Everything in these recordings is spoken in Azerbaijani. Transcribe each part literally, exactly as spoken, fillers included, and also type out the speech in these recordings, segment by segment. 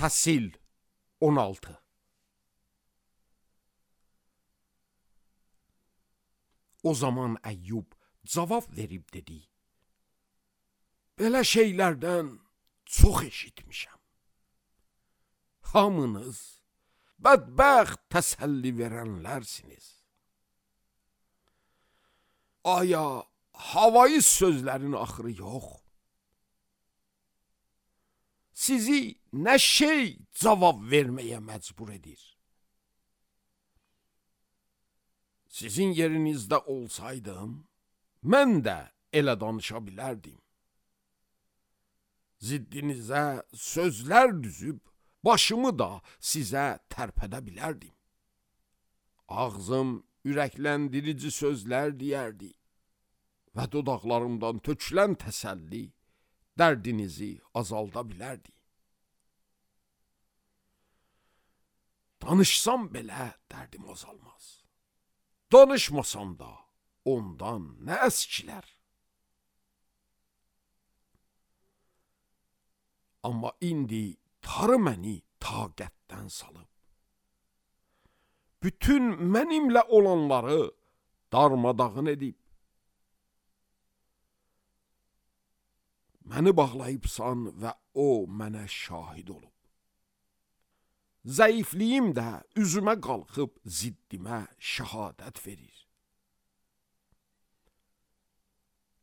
Fəsil on altı. O zaman Əyyub cavab verib dedi: Belə şeylərdən çox eşitmişəm. Hamınız bədbəxt təsəlli verənlərsiniz. Aya havayı sözlərin axırı yox? Sizi nə şey cavab verməyə məcbur edir? Sizin yerinizdə olsaydım, mən də elə danışa bilərdim. Ziddinizə sözlər düzüb, başımı da sizə tərpədə bilərdim. Ağzım ürəkləndirici sözlər deyərdi və dodaqlarımdan tökülən təsəlli dərdinizi azalda bilərdi. Danışsam belə dərdim azalmaz. Danışmasam da ondan nə əskilər? Amma indi tarı məni taqətdən salıb. Bütün mənimlə olanları darmadağın edib. Məni bağlayıbsan və o mənə şahid olub. Zəifliyim də üzümə qalxıb ziddimə şəhadət verir.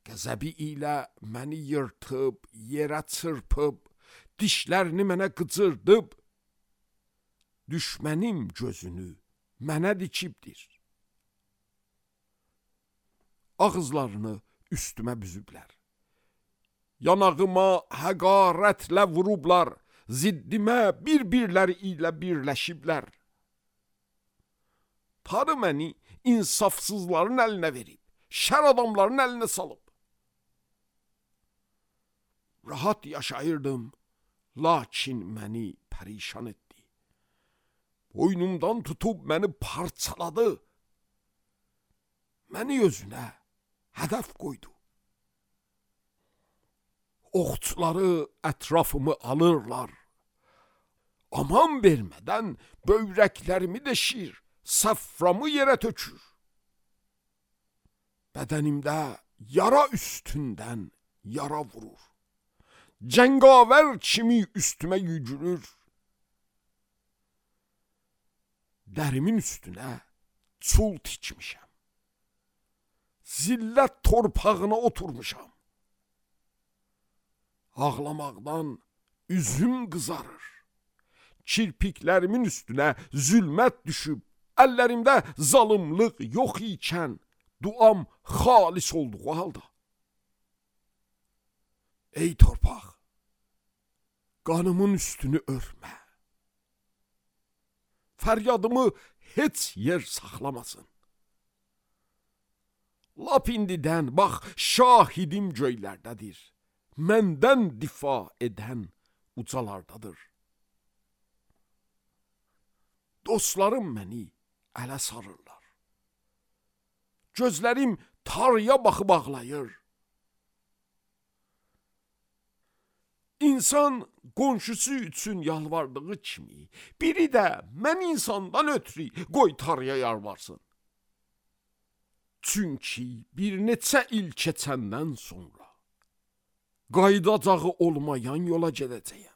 Qəzəbi ilə məni yırtıb, yerə çırpıb, dişlərini mənə qıcırdıb, düşmənim gözünü mənə dikibdir. Ağızlarını üstümə büzüblər. Yanağıma həqarətlə vurublar, ziddimə bir-birləri ilə birləşiblər. Tanrı məni insafsızların əlinə verib, şər adamların əlinə salıb. Rahat yaşayırdım, lakin məni pərişan etdi. Boynumdan tutub məni parçaladı. Məni özünə hədəf qoydu. Oxçuları ətrafımı alırlar. Aman vermədən böyrəklərimi deşir, səfframı yerə tökür. Bədənimdə yara üstündən yara vurur. Cəngavər kimi üstümə yücürür. Dərimin üstünə çul tikmişəm. Zillət torpağına oturmuşam. Ağlamaqdan üzüm qızarır. Kirpiklərimin üstünə zülmət düşüb, əllərimdə zalımlıq yox ikən, duam xalis olduğu halda. Ey torpaq, qanımın üstünü örmə. Fəryadımı heç yer saxlamasın. Lap indidən, bax, şahidim göylərdədir. Məndən difa edən ucalardadır. Dostlarım məni ələ sarırlar. Gözlərim tarıya baxıb ağlayır. İnsan qonşusu üçün yalvardığı kimi, biri də mən insandan ötürü qoy tarıya yalvarsın. Çünki bir neçə il keçəndən sonra qayıdacağı olmayan yola gedəcəyəm.